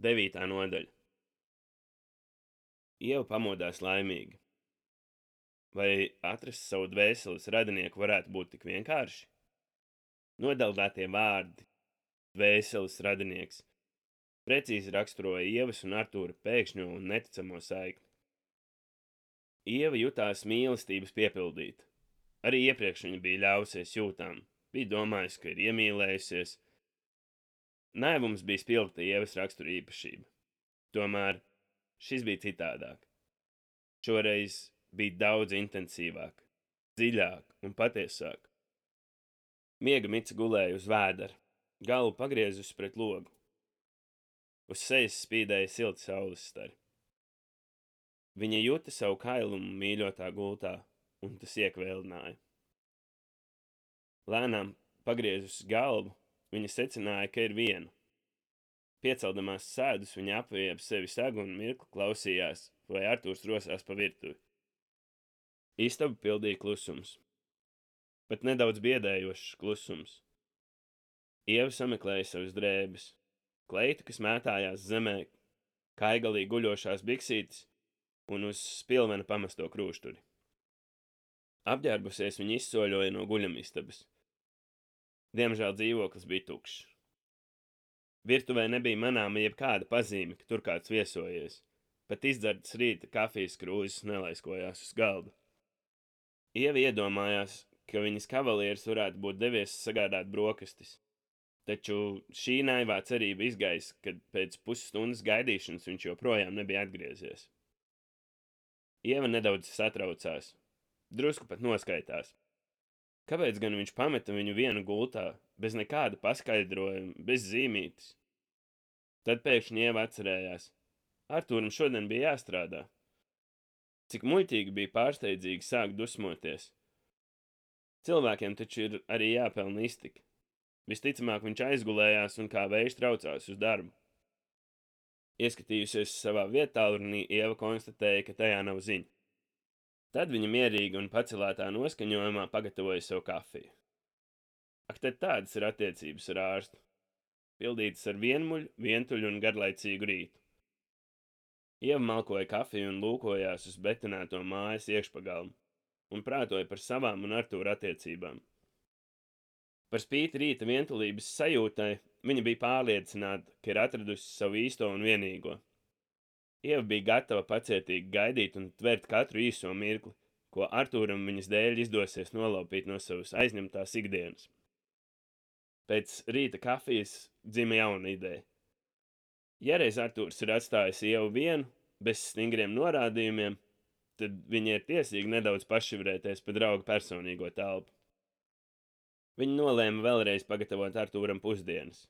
9. nodaļa. Ieva pamodās laimīgi. Vai atrast savu dvēseles radinieku varētu būt tik vienkārši? Nodeldētie vārdi, dvēseles radinieks, precīzi raksturoja Ievas un Artūra pēkšņo un neticamo saikni. Ieva jutās mīlestības piepildīta. Arī iepriekš viņa bija ļāvusies jūtām, bija domājusi, ka ir iemīlējusies. Naivums bija spilgta Ievas rakstura īpašība. Tomēr šis bija citādāk. Šoreiz bija daudz intensīvāk, dziļāk un patiesāk. Miega mica gulēja uz vēdera, galvu pagriezusi pret logu. Uz sejas spīdēja silti saules stari. Viņa juta savu kailumu mīļotā gultā, un tas iekvēlināja. Lēnām pagriezusi galvu, viņa secināja, ka ir viena. Pieceldamās sēdus, viņa apvēja ap sevi sagu un mirkli klausījās, vai Artūrs rosās pa virtuvi. Istabu pildīja klusums. Pat nedaudz biedējošs klusums. Ieva sameklēja savas drēbes, kleitu, kas mētājās zemē, kaigalī guļošās biksītes un uz spilvena pamesto krūšturi. Apģērbusies, viņa izsoļoja no guļamistabas. Diemžēl dzīvoklis bija tukšs. Virtuvē nebija manāma jebkāda pazīme, ka tur kāds viesojies. Pat izdzertas rīta kafijas krūzes nelaiskojās uz galda. Ieva iedomājās, ka viņas kavalieris varētu būt devies sagādāt brokastis. Taču šī naivā cerība izgaisa, kad pēc pusstundas gaidīšanas viņš joprojām nebija atgriezies. Ieva nedaudz satraucās, drusku pat noskaitās. Kāpēc gan viņš pameta viņu vienu gultā, bez nekāda paskaidrojuma, bez zīmītes? Tad pēkšņi Ieva atcerējās. Artūram šodien bija jāstrādā. Cik muļķīgi bija pārsteidzīgi sākt dusmoties. Cilvēkiem taču ir arī jāpelna iztika. Visticamāk viņš aizgulējās un kā vējš traucās uz darbu. Ieskatījusies savā vietālrunī, Ieva konstatēja, ka tajā nav ziņa. Tad viņa mierīgi un pacelētā noskaņojumā pagatavoja sev kafiju. Ak, tad tādas ir attiecības ar ārstu. Pildītas ar vienmuļu, vientuļu un garlaicīgu rītu. Ieva malkoja kafiju un lūkojās uz betonēto mājas iekšpagalmu un prātoja par savām un Artūra attiecībām. Par spīti rīta vientulības sajūtai, viņa bija pārliecināta, ka ir atradusi savu īsto un vienīgo. Ieva bija gatava pacietīgi gaidīt un tvert katru īso mirkli, ko Artūram viņas dēļ izdosies nolaupīt no savas aizņemtās ikdienas. Pēc rīta kafijas dzima jauna ideja. Ja reiz Artūrs ir atstājis Ievu vienu, bez stingriem norādījumiem, tad viņa ir tiesīga nedaudz pašivrēties pa drauga personīgo telpu. Viņa nolēma vēlreiz pagatavot Artūram pusdienas.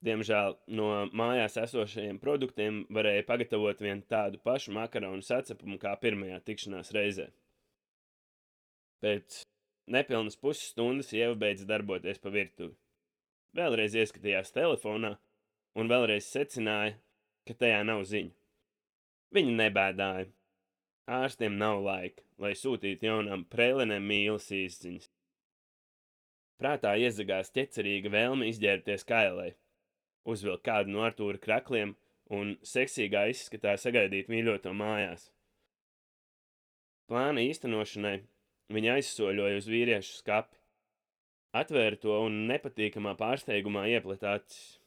Diemžēl no mājās esošajiem produktiem varēja pagatavot vien tādu pašu makaronu sacepumu kā pirmajā tikšanās reizē. Pēc nepilnas pusstundas Ieva beidza darboties pa virtuvi. Vēlreiz ieskatījās telefonā un vēlreiz secināja, ka tajā nav ziņu. Viņa nebēdāja. Ārstiem nav laika, lai sūtītu jaunām prēlenēm mīlas īsziņas. Prātā iezagās ķecerīga vēlme izģērbties kailē, uzvilkt kādu no Artūra krakliem un seksīgā izskatā sagaidīt mīļoto mājās. Plāna īstenošanai viņa aizsoļoja uz vīriešu skapi, atvēra to un nepatīkamā pārsteigumā iepleta acis.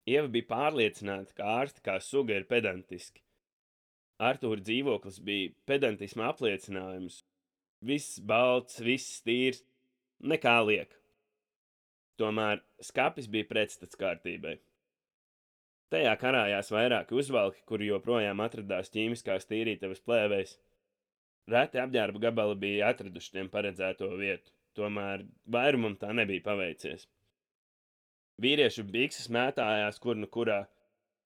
Ieva bija pārliecināta, ka ārsti kā suga ir pedantiski. Artūra dzīvoklis bija pedantisma apliecinājums. Viss balts, viss tīrs, nekā liek. Tomēr skapis bija pretstats kārtībai. Tajā karājās vairāki uzvalki, kuri joprojām atradās ķīmiskās tīrītavas plēvēs. Reti apģērba gabali bija atraduši tiem paredzēto vietu, tomēr vairumam tā nebija paveicies. Vīriešu bikses mētājās kur nu kurā,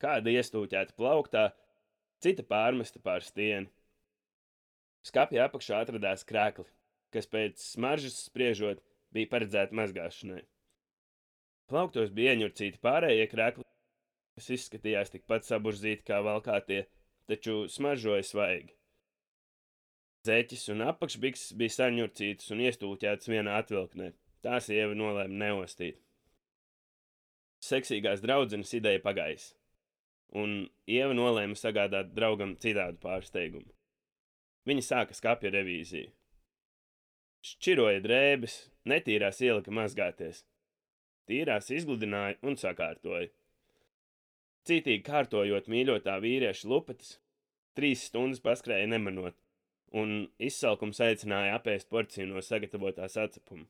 kāda iestūķēta plauktā, cita pārmesta pār stieni. Skapja apakšā atradās krekli, kas pēc smaržas spriežot bija paredzēti mazgāšanai. Plauktos bija ieņurcīti pārējie krekli, kas izskatījās tikpat saburzīti kā valkātie, taču smaržoja svaigi. Zeķis un apakšbikses bija saņurcītas un iestūķētas vienā atvilknē. Tās Ieva nolēma neostīt. Seksīgās draudzenes ideja pagaisa, un Ieva nolēma sagādāt draugam citādu pārsteigumu. Viņa sāka skapja revīziju. Šķiroja drēbes, netīrās ielika mazgāties. Tīrās izgludināja un sakārtoja. Cītīgi kārtojot mīļotā vīrieša lupetes, 3 stundas paskrēja nemanot, un izsalkums aicināja apēst porciju no sagatavotās atcepuma.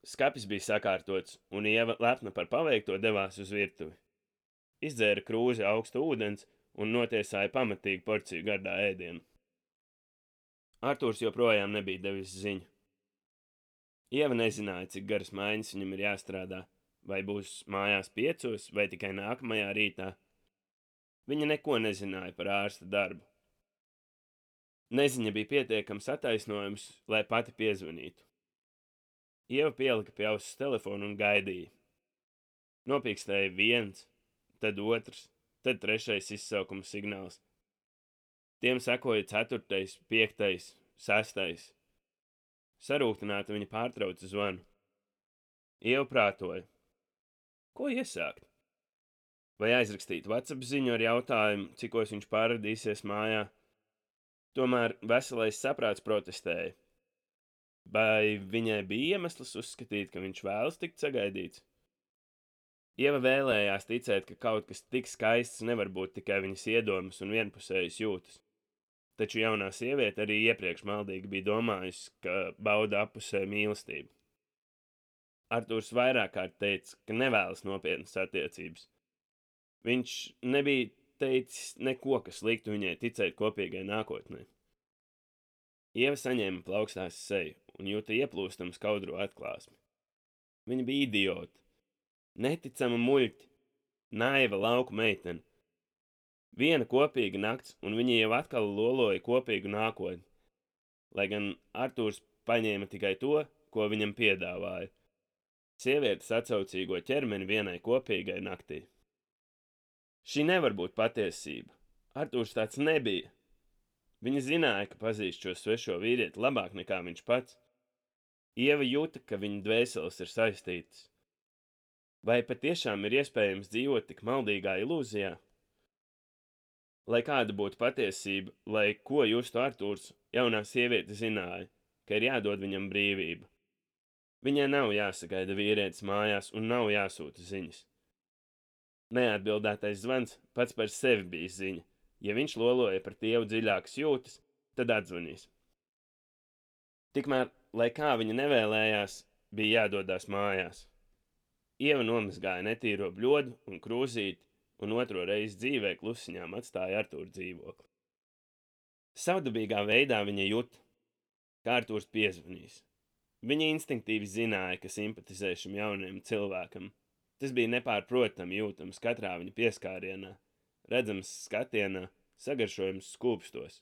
Skapis bija sakārtots, un Ieva lepna par paveikto devās uz virtuvi. Izdzēra krūzi augsta ūdens un notiesāja pamatīgu porciju gardā ēdienu. Artūrs joprojām nebija devis ziņu. Ieva nezināja, cik garas maiņas viņam ir jāstrādā, vai būs mājās 5 vai tikai nākamajā rītā. Viņa neko nezināja par ārsta darbu. Neziņa bija pietiekams attaisnojums, lai pati piezvanītu. Ieva pielika pie auss telefonu un gaidīja. Nopīkstēja 1, tad 2, tad 3 izsaukuma signāls. Tiem sekoja 4., 5., 6. Sarūktināta viņa pārtrauca zvanu. Ieva prātoja. Ko iesākt? Vai aizrakstīt WhatsApp ziņu ar jautājumu, cikos viņš pārradīsies mājā? Tomēr veselais saprāts protestēja. Vai viņai bija iemesls uzskatīt, ka viņš vēlas tikt sagaidīts? Ieva vēlējās ticēt, ka kaut kas tik skaists nevar būt tikai viņas iedomas un vienpusējas jūtas. Taču jaunā sieviete arī iepriekš maldīgi bija domājusi, ka bauda appusē mīlestību. Artūrs vairāk kārt teica, ka nevēlas nopietnas attiecības. Viņš nebija teicis neko, kas liktu viņai ticēt kopīgai nākotnē. Ieva saņēma plaukstās seju un jūta ieplūstamu skaudro atklāsmi. Viņa bija idiota, neticama muļķa, naiva lauku meitene. Viena kopīga nakts, un viņa jau atkal loloja kopīgu nākotni, lai gan Artūrs paņēma tikai to, ko viņam piedāvāja. Sievietes atsaucīgo ķermeni vienai kopīgai naktī. Šī nevar būt patiesība. Artūrs tāds nebija. Viņa zināja, ka pazīst šo svešo vīrieti labāk nekā viņš pats. Ieva jūta, ka viņa dvēseles ir saistītas. Vai patiešām ir iespējams dzīvot tik maldīgā ilūzijā? Lai kāda būtu patiesība, lai ko justu Artūrs, jaunā sieviete zināja, ka ir jādod viņam brīvība. Viņai nav jāsagaida vīrietis mājās un nav jāsūta ziņas. Neatbildētais zvans pats par sevi bija ziņa. Ja viņš loloja par Tievu dziļākas jūtas, tad atzvanīs. Tikmēr, lai kā viņa nevēlējās, bija jādodās mājās. Ieva nomazgāja netīro bļodu un krūzīti, un otro reizi dzīvē klusiņām atstāja Artūra dzīvokli. Savdabīgā veidā viņa juta, ka Artūrs piezvanīs. Viņa instinktīvi zināja, ka simpatizē šim jaunajam cilvēkam. Tas bija nepārprotami jūtams katrā viņa pieskārienā, redzams skatienā, sagaršojums skūpstos.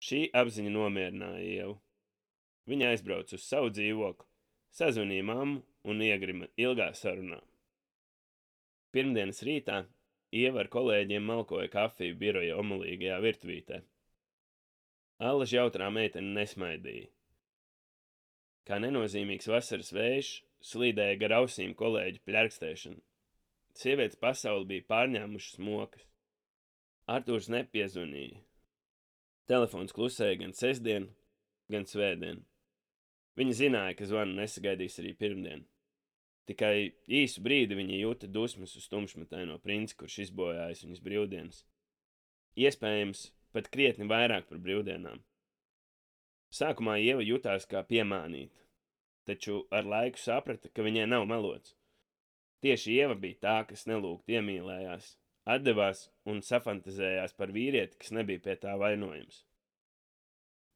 Šī apziņa nomierināja Ievu. Viņa aizbrauca uz savu dzīvokli, sazvanīja mammu un iegrima ilgā sarunā. Pirmdienas rītā Ieva ar kolēģiem malkoja kafiju biroja omulīgajā virtuvītē. Allaž jautrā meitene nesmaidīja. Kā nenozīmīgs vasaras vējš, slīdēja gar ausīm kolēģu pļarkstēšana. Sievietes pasauli bija pārņēmušas mokas. Artūrs nepiezvanīja. Telefons klusēja gan sestdien, gan svētdien. Viņa zināja, ka zvanu nesagaidīs arī pirmdien. Tikai īsu brīdi viņa jūta dusmas uz tumšmetaino princi, kurš izbojājis viņas brīvdienas. Iespējams, pat krietni vairāk par brīvdienām. Sākumā Ieva jutās kā piemānīta, taču ar laiku saprata, ka viņai nav melots. Tieši Ieva bija tā, kas nelūgt iemīlējās, atdevās un safantazējās par vīrieti, kas nebija pie tā vainojams.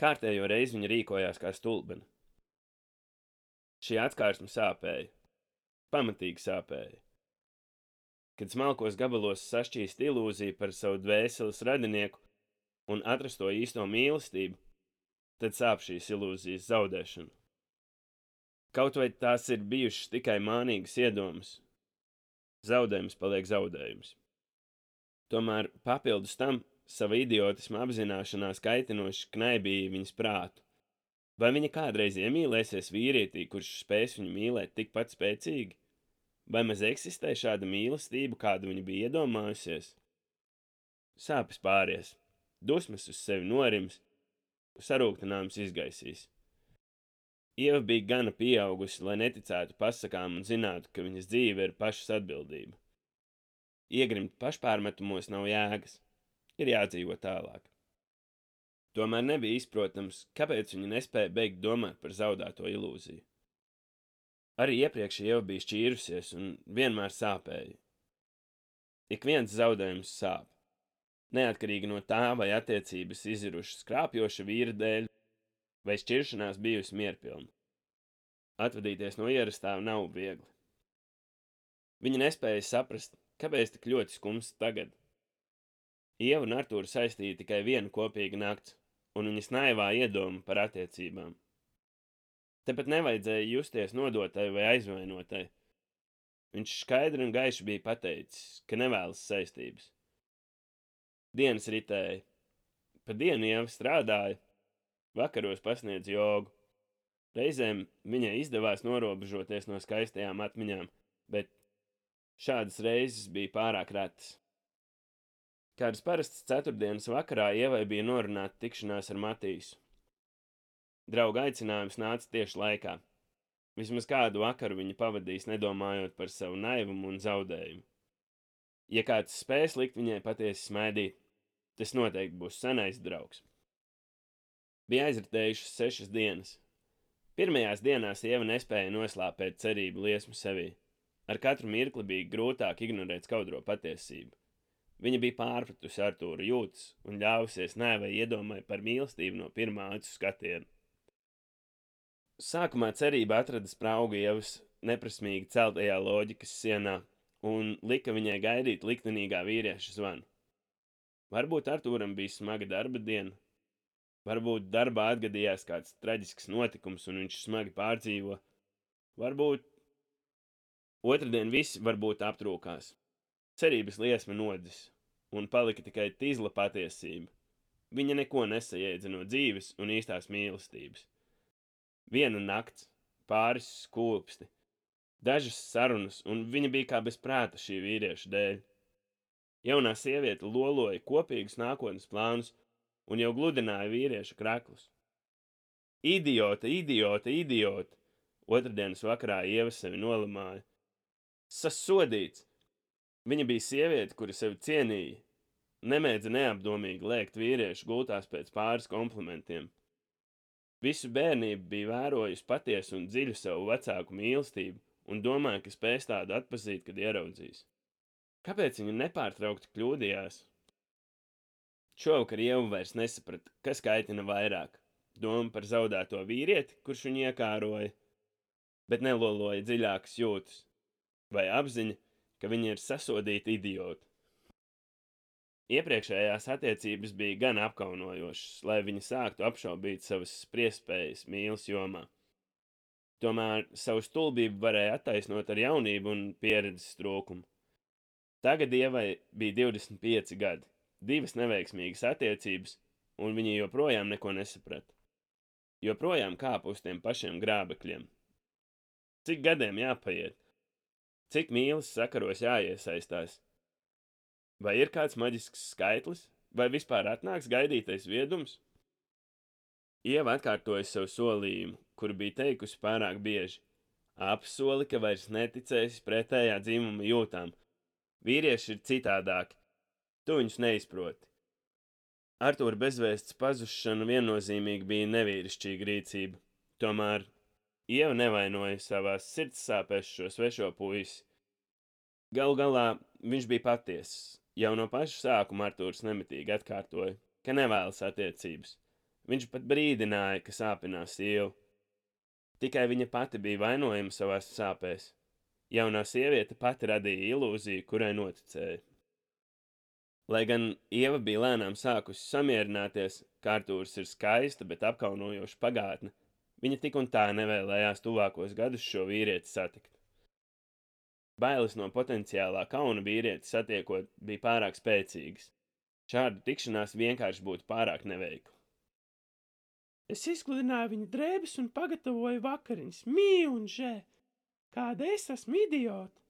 Kārtējo reizi viņa rīkojās kā stulbena. Šī atkārsme sāpēja. Pamatīgi sāpēja. Kad smalkos gabalos sašķīst ilūzija par savu dvēseles radinieku un atrasto īsto mīlestību, tad sāp šīs ilūzijas zaudēšana. Kaut vai tās ir bijušas tikai mānīgas iedomas, zaudējums paliek zaudējums. Tomēr papildus tam sava idiotisma apzināšanās kaitinoši knaibīja viņas prātu. Vai viņa kādreiz iemīlēsies vīrietī, kurš spēs viņu mīlēt tikpat spēcīgi? Vai maz eksistē šāda mīlestība, kādu viņa bija iedomājusies? Sāpes pāries, dusmas uz sevi norims, sarūktinājums izgaisīs. Ieva bija gana pieaugusi, lai neticētu pasakām un zinātu, ka viņas dzīve ir pašas atbildība. Iegrimt pašpārmetumos nav jēgas, ir jādzīvo tālāk. Tomēr nebija izprotams, kāpēc viņa nespēja beigt domāt par zaudēto ilūziju. Arī iepriekš Ieva bija šķīrusies un vienmēr sāpēja. Ik viens zaudējums sāp, neatkarīgi no tā, vai attiecības izirušas krāpjoša vīra dēļ, vai šķiršanās bijusi mierpilna. Atvadīties no ierastā nav viegli. Viņa nespēja saprast, kāpēc tik ļoti skumst tagad. Ieva un Artūru saistīja tikai viena kopīga nakts, un viņas naivā iedoma par attiecībām. Tepat nevajadzēja justies nodotai vai aizvainotai. Viņš skaidri un gaiši bija pateicis, ka nevēlas saistības. Dienas ritēja. Pa dienu Ieva strādāja, vakaros pasniedz jogu. Reizēm viņai izdevās norobežoties no skaistajām atmiņām, bet šādas reizes bija pārāk retas. Kādas parastas ceturtdienas vakarā Ievai bija norunāta tikšanās ar Matīsu. Drauga aicinājums nāca tieši laikā. Vismaz kādu vakaru viņa pavadīs nedomājot par savu naivumu un zaudējumu. Ja kāds spēs likt viņai patiesi smaidīt, tas noteikti būs senais draugs. Bija aizritējušas 6 dienas. Pirmajās dienās Ieva nespēja noslāpēt cerību liesmu sevī. Ar katru mirkli bija grūtāk ignorēt skaudro patiesību. Viņa bija pārpratusi Artūra jūtas un ļāvusies naivai iedomai par mīlestību no pirmā acu skatiena. Sākumā cerība atrada spraugu Ievas neprasmīgi celtajā loģikas sienā un lika viņai gaidīt liktenīgā vīrieša zvanu. Varbūt Artūram bija smaga darba diena, varbūt darbā atgadījās kāds traģisks notikums un viņš smagi pārdzīvo, varbūt otrdien visi varbūt aptrūkās. Cerības liesma nodzis, un palika tikai tīzla patiesība. Viņa neko nesajēdza no dzīves un īstās mīlestības. Viena nakts, pāris skūpsti, dažas sarunas, un viņa bija kā bez prāta šī vīrieša dēļ. Jaunā sieviete loloja kopīgus nākotnes plānus un jau gludināja vīrieša kraklus. Idiote, idiote, idiote! Otrdienas vakarā Ieva sevi nolamāja. Sasodīts! Viņa bija sieviete, kura sevi cienīja. Nemēdza neapdomīgi lēkt vīriešu gultās pēc pāris komplimentiem. Visu bērnību bija vērojusi patiesu un dziļu savu vecāku mīlestību un domāja, ka spēs tādu atpazīt, kad ieraudzīs. Kāpēc viņa nepārtraukti kļūdījās? Šovakar Ieva vairs nesaprata, kas kaitina vairāk. Doma par zaudēto vīrieti, kurš viņu iekāroja, bet neloloja dziļākas jūtas, vai apziņa, ka viņa ir sasodīta idiota. Iepriekšējās attiecības bija gan apkaunojošas, lai viņa sāktu apšaubīt savas spriestspējas mīlas jomā. Tomēr savu stulbību varēja attaisnot ar jaunību un pieredzes trūkumu. Tagad Ievai bija 25 gadi, 2 neveiksmīgas attiecības, un viņa joprojām neko nesaprata. Joprojām kāpa uz tiem pašiem grābekļiem. Cik gadiem jāpaiet? Cik mīlas sakaros jāiesaistās? Vai ir kāds maģisks skaitlis, vai vispār atnāks gaidītais viedums? Ieva atkārtoja savu solījumu, kuru bija teikusi pārāk bieži. Apsoli, ka vairs neticēsi pretējā dzimuma jūtām. Vīrieši ir citādāki. Tu viņus neizproti. Artūra bezvēsts pazušana viennozīmīgi bija nevīrišķīga rīcība. Tomēr Ieva nevainoja savās sirds sāpēs šo svešo puisi. Galu galā viņš bija patiesis. Jau no paša sākuma Artūrs nemitīgi atkārtoja, ka nevēlas attiecības. Viņš pat brīdināja, ka sāpinās Ievu. Tikai viņa pati bija vainojama savās sāpēs. Jaunā sieviete pati radīja ilūziju, kurai noticēja. Lai gan Ieva bija lēnām sākusi samierināties, ka Artūrs ir skaista, bet apkaunojoša pagātne, viņa tik un tā nevēlējās tuvākos gadus šo vīrieti satikt. Bailes no potenciālā kauna vīrieti satiekot bija pārāk spēcīgas. Šādu tikšanās vienkārši būtu pārāk neveikla. Es izkludināju viņa drēbes un pagatavoju vakariņas, mīl un žē. Kāda es esmu idiota!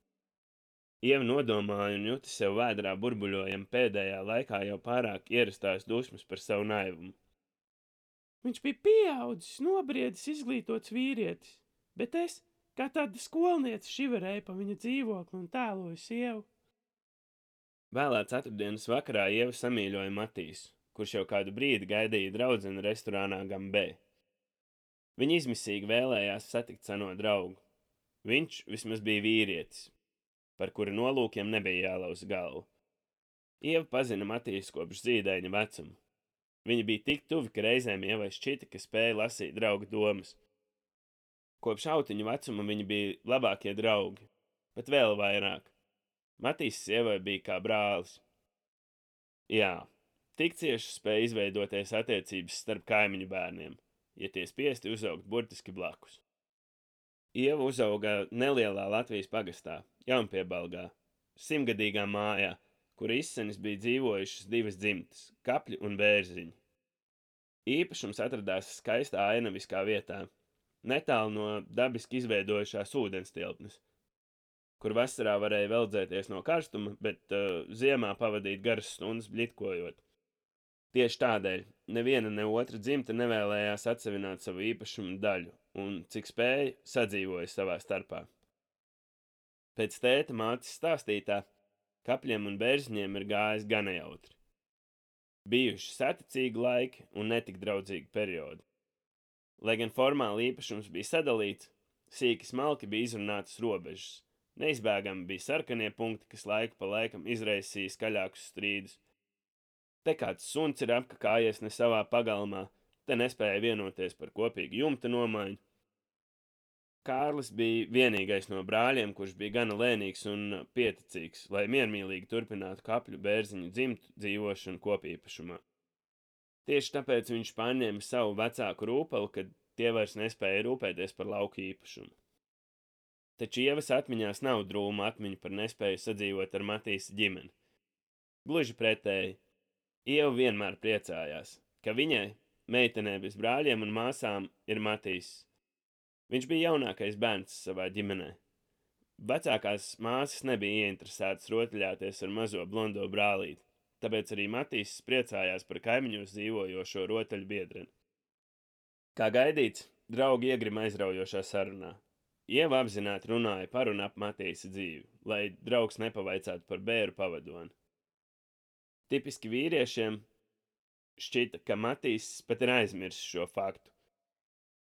Ieva nodomāja un juta sev vēdrā burbuļojam pēdējā laikā jau pārāk ierastās dusmas par savu naivumu. Viņš bija pieaudzis, nobriedis, izglītots vīrietis, bet es, kā tāda skolniece, šiverēju pa viņa dzīvokli un tēloju sievu. Vēlā ceturtdienas vakarā Ieva samīļoja Matīsu, kurš jau kādu brīdi gaidīja draudzeni restorānā Gambē. Viņa izmisīgi vēlējās satikt seno draugu. Viņš vismaz bija vīrietis, par kura nolūkiem nebija jālauz galvu. Ieva pazina Matīsu kopš zīdaiņa vecuma. Viņa bija tik tuvi, ka reizēm Ievai šķita, ka spēja lasīt drauga domas. Kopš autiņu vecuma viņi bija labākie draugi, pat vēl vairāk. Matīsas Ievai bija kā brālis. Jā, tik cieši spēja izveidoties attiecības starp kaimiņu bērniem, ja tie spiesti uzaugt burtiski blakus. Ieva uzauga nelielā Latvijas pagastā, Jaunpiebalgā, 100-gadīgā mājā, kur izsenis bija dzīvojušas divas dzimtas – Kapļi un Bērziņi. Īpašums atradās skaistā ainaviskā vietā, netālu no dabiski izveidojušās ūdenstilpnes, kur vasarā varēja veldzēties no karstuma, bet ziemā pavadīt garas stundas bļitkojot. Tieši tādēļ neviena ne otra dzimta nevēlējās atsevināt savu īpašumu daļu un, cik spēja, sadzīvoja savā starpā. Pēc tēta mātes stāstītā, Kapļiem un Bērziņiem ir gājis gana jautri. Bijuši saticīgi laiki un netik draudzīgi periodi. Lai gan formāli īpašums bija sadalīts, sīki smalki bija izrunātas robežas. Neizbēgami bija sarkanie punkti, kas laiku pa laikam izraisīja skaļākus strīdus. Te kāds suns ir apkakājies ne savā pagalmā, te nespēja vienoties par kopīgu jumta nomaiņu. Kārlis bija vienīgais no brāļiem, kurš bija gana lēnīgs un pieticīgs, lai miermīlīgi turpinātu Kapļu Bērziņu dzimtu dzīvošanu kopīpašumā. Tieši tāpēc viņš paņēma savu vecāku rūpeli, kad tie vairs nespēja rūpēties par lauku īpašumu. Taču Ievas atmiņās nav drūma atmiņa par nespēju sadzīvot ar Matīsa ģimeni. Gluži pretēji, Ieva vienmēr priecājās, ka viņai, meitenē bez brāļiem un māsām, ir Matīss. Viņš bija jaunākais bērns savā ģimenē. Vecākās māsas nebija ieinteresētas rotaļāties ar mazo blondo brālīti, tāpēc arī Matīss priecājās par kaimiņos dzīvojošo rotaļu biedreni. Kā gaidīts, draugi iegrima aizraujošā sarunā. Ieva apzināti runāja par un ap Matīsa dzīvi, lai draugs nepavaicātu par bēru pavadoni. Tipiski vīriešiem šķita, ka Matīss pat ir aizmirsis šo faktu.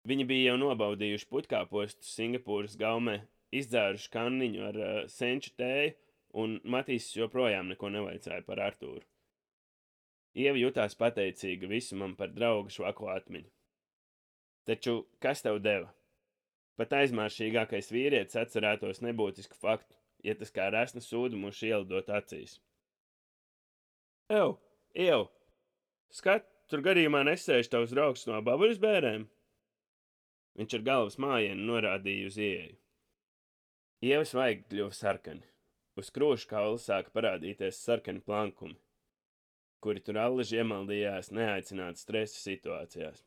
Viņi bija jau nobaudījuši puķkāpostu Singapūras gaumē, izdzēruši kanniņu ar senču tēju, un Matīss joprojām neko nevaicāja par Artūru. Ieva jutās pateicīga visumam par draugu švako atmiņu. Taču kas tev deva? Pat aizmāršīgākais vīrietis atcerētos nebūtisku faktu, ja tas kā resna sūdumuši ielidot acīs. Ev, skat, tur gadījumā nesēž tavs draugs no babuļas bērēm? Viņš ar galvas mājienu norādīja uz ieeju. Ievas vaigi kļuva sarkani. Uz krūšu kaula sāka parādīties sarkani plankumi, kuri tur allaži iemaldījās neaicināti stresa situācijās.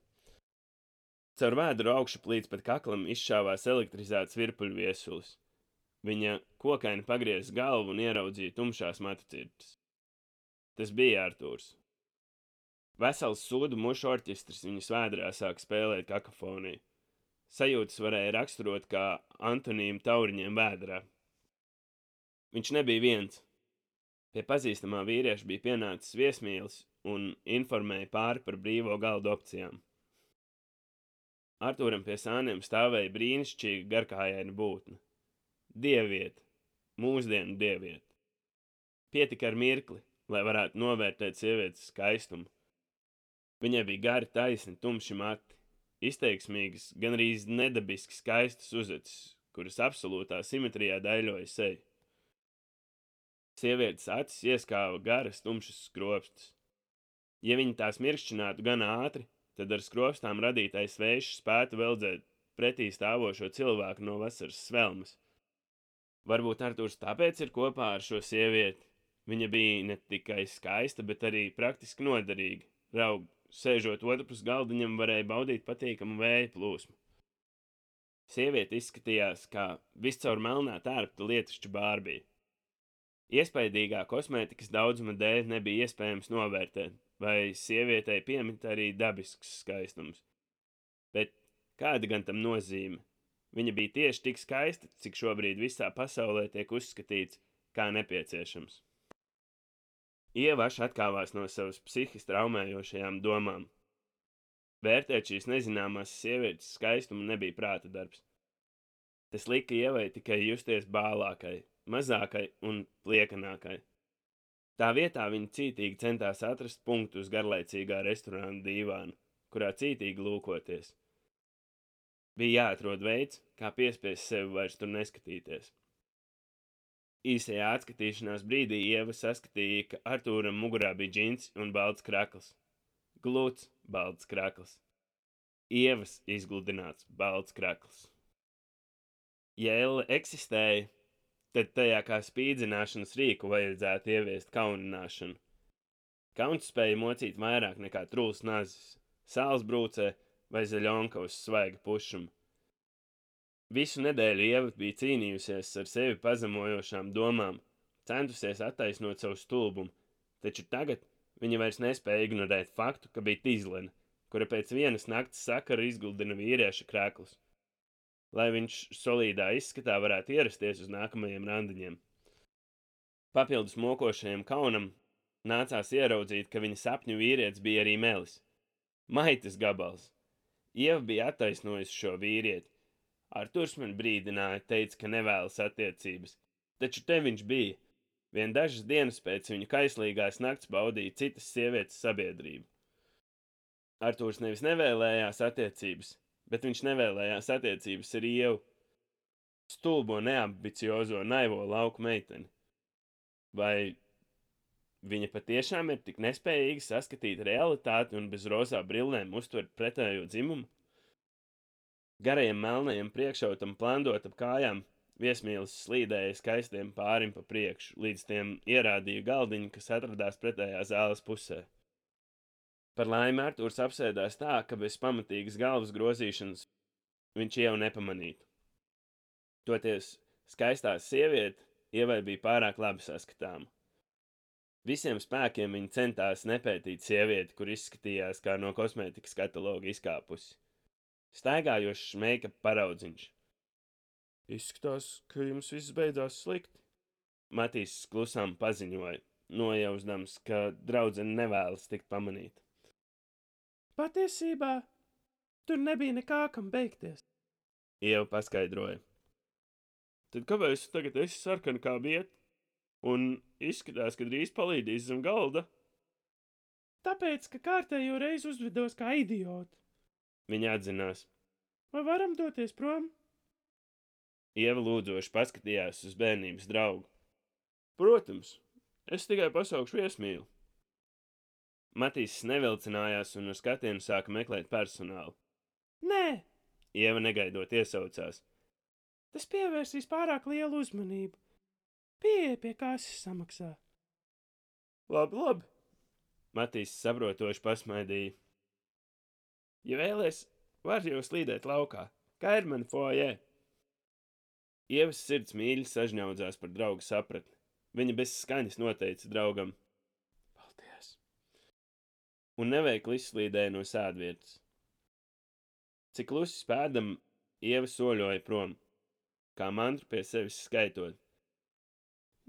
Caur vēdru augšuplīdz pat kaklam izšāvās elektrizēts virpuļviesulis. Viņa kokaini pagrieza galvu un ieraudzīja tumšās matu cirtas. Tas bija Artūrs. Vesels sūdu mušu orķestris viņas vēdrā sāka spēlēt kakofoniju. Sajūtas varēja raksturot kā antonīmu tauriņiem vēdrā. Viņš nebija viens. Pie pazīstamā vīrieša bija pienācis viesmīlis un informēja pāri par brīvo galdu opcijām. Artūram pie sāniem stāvēja brīnišķīga garkājaina būtne. Dieviete, mūsdienu dieviete. Pietika ar mirkli, lai varētu novērtēt sievietes skaistumu. Viņai bija gari taisni, tumši mati. Izteiksmīgas, gan arī nedabiski skaistas uzacis, kuras absolūtā simetrijā daļoja seju. Sievietes acis ieskāva garas, tumšas skropstas. Ja viņi tās mirkšķinātu gan ātri, tad ar skropstām radītais vējš spētu veldzēt pretī stāvošo cilvēku no vasaras svelmes. Varbūt Artūrs tāpēc ir kopā ar šo sievieti. Viņa bija ne tikai skaista, bet arī praktiski noderīga. Raugi, sēžot otrpus galdiņam, varēja baudīt patīkamu vēja plūsmu. Sieviete izskatījās kā viscaur melnā tērpta lietišķa bārbija. Iespaidīgā kosmētikas daudzuma dēļ nebija iespējams novērtēt, vai sievietei piemīt arī dabisks skaistums. Bet kāda gan tam nozīme? Viņa bija tieši tik skaista, cik šobrīd visā pasaulē tiek uzskatīts kā nepieciešams. Ieva atkāvās no savas psihiski traumējošajām domām. Vērtēt šīs nezināmās sievietes skaistumu nebija prāta darbs. Tas lika Ievai tikai justies bālākai, mazākai un pliekanākai. Tā vietā viņa cītīgi centās atrast punktu uz garlaicīgā restorāna dīvāna, kurā cītīgi lūkoties. Bija jāatrod veids, kā piespiest sevi vairs tur neskatīties. Īsajā atskatīšanās brīdī Ieva saskatīja, ka Artūram mugurā bija džins un balts krakls. Gluds balts krakls. Ievas izgludināts balts krakls. Ja elle eksistēja, tad tajā kā spīdzināšanas rīku vajadzētu ieviest kaunināšanu. Kauns spēja mocīt vairāk nekā trūls nazis, sāls brūcē vai zaļonka uz svaiga pušuma. Visu nedēļu Ieva bija cīnījusies ar sevi pazemojošām domām, centusies attaisnot savu stulbumu, taču tagad viņa vairs nespēja ignorēt faktu, ka bija Tīzlene, kura pēc vienas nakts sakara izguldina vīrieša krēklus, lai viņš solīdā izskatā varētu ierasties uz nākamajiem randiņiem. Papildus mokošajam kaunam nācās ieraudzīt, ka viņa sapņu vīrietis bija arī Melis. Maitas gabals. Ieva bija attaisnojusi šo vīrieti. Arturs man brīdināja, teica, ka nevēlas attiecības, taču te viņš bija. Vien dažas dienas pēc viņa kaislīgās nakts baudīja citas sievietes sabiedrību. Arturs nevis nevēlējās attiecības, bet viņš nevēlējās attiecības ar Ievu, stulbo, neambiciozo, naivo lauku meiteni. Vai viņa patiešām ir tik nespējīga saskatīt realitāti un bez rozā brillēm uztvert pretējo dzimumu? Garajam melnajam priekšautam plandot ap kājām, viesmīlis slīdēja skaistiem pārim pa priekšu, līdz tiem ierādīja galdiņu, kas atradās pretējā zāles pusē. Par laimi Artūrs apsēdās tā, ka bez pamatīgas galvas grozīšanas viņš jau nepamanītu. Toties skaistā sieviete Ievai bija pārāk labi saskatāma. Visiem spēkiem viņa centās nepētīt sievieti, kur izskatījās kā no kosmētikas kataloga izkāpusi. Staigājošs meikapa paraudziņš. Izskatās, ka jums viss beidzās slikti. Matīs klusām paziņoja, nojausdams, ka draudzene nevēlas tikt pamanīta. Patiesībā tur nebija nekā, kam beigties, Ieva paskaidroja. Tad kāpēc tu tagad esi sarkana kā vieta un izskatās, ka drīz palīdīs zem galda? Tāpēc, ka kārtējo reizi uzvedos kā idiota. Viņa atzinās. Vai varam doties prom? Ieva lūdzoši paskatījās uz bērnības draugu. Protams, es tikai pasaukšu viesmīli. Matīs nevilcinājās un uz skatienu sāka meklēt personālu. Nē, Ieva negaidot iesaucās. Tas pievērsīs pārāk lielu uzmanību. Pieeja pie kases samaksā. Labi. Matīs saprotoši pasmaidīja. Ja vēlies, var jau slīdēt laukā. Kā ir mani foajē? Ievas sirds mīļi sažņaudzās par draugu sapratni. Viņa bez skaņas noteica draugam. Paldies! Un neveikli izslīdēja no sēdvietas. Cik klusi spēdam, Ieva soļoja prom, kā mantru pie sevis skaitot.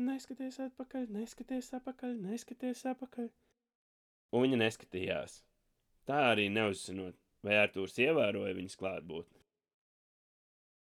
Neskaties atpakaļ, neskaties apakaļ, neskaties apakaļ. Un viņa neskatījās. Tā arī neuzzinot, vai Artūrs ievēroja viņas klātbūtni.